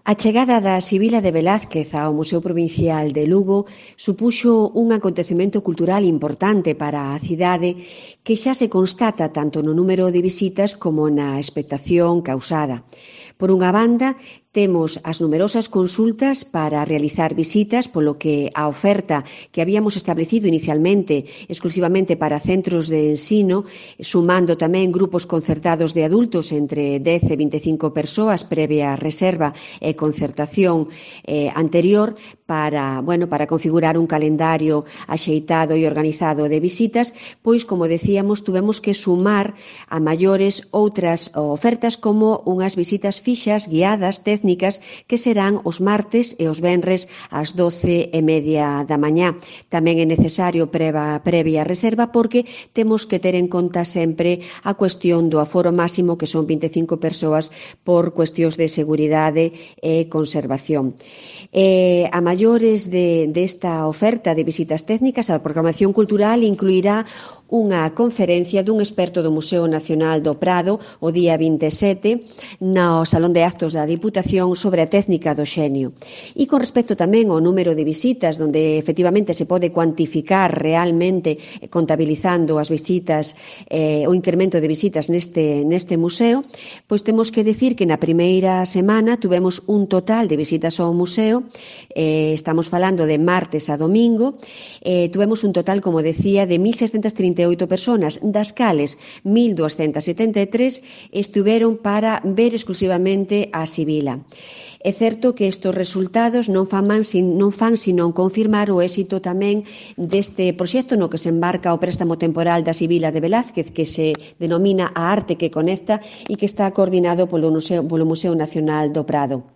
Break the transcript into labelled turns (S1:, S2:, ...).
S1: A chegada da Sibila de Velázquez ao Museo Provincial de Lugo supuxo un acontecemento cultural importante para a cidade que xa se constata tanto no número de visitas como na expectación causada. Por unha banda, temos as numerosas consultas para realizar visitas, polo que a oferta que habíamos establecido inicialmente exclusivamente para centros de ensino, sumando tamén grupos concertados de adultos entre 10 e 25 persoas previa reserva e concertación anterior para configurar un calendario axeitado e organizado de visitas, pois, como decíamos, tuvemos que sumar a maiores outras ofertas como unhas visitas fixas, guiadas, técnicas, que serán os martes e os venres ás 12:30 da mañá. Tamén é necesario previa reserva porque temos que ter en conta sempre a cuestión do aforo máximo, que son 25 persoas por cuestións de seguridade e conservación. A maiores desta oferta de visitas técnicas, a programación cultural incluirá unha conferencia dun experto do Museo Nacional do Prado o día 27 no Salón de Actos da Diputación sobre a técnica do xenio. E con respecto tamén ao número de visitas, onde efectivamente se pode cuantificar realmente contabilizando as visitas, o incremento de visitas neste museo, pois temos que decir que na primeira semana tuvemos un total de visitas ao museo, estamos falando de martes a domingo, tuvemos un total, como decía, de 1.638 persoas, das cales 1.273 estiveron para ver exclusivamente a Sibila. É certo que estes resultados non fan senón confirmar o éxito tamén deste proxecto no que se embarca o préstamo temporal da Sibila de Velázquez, que se denomina A Arte que Conecta e que está coordinado polo Museo Nacional do Prado.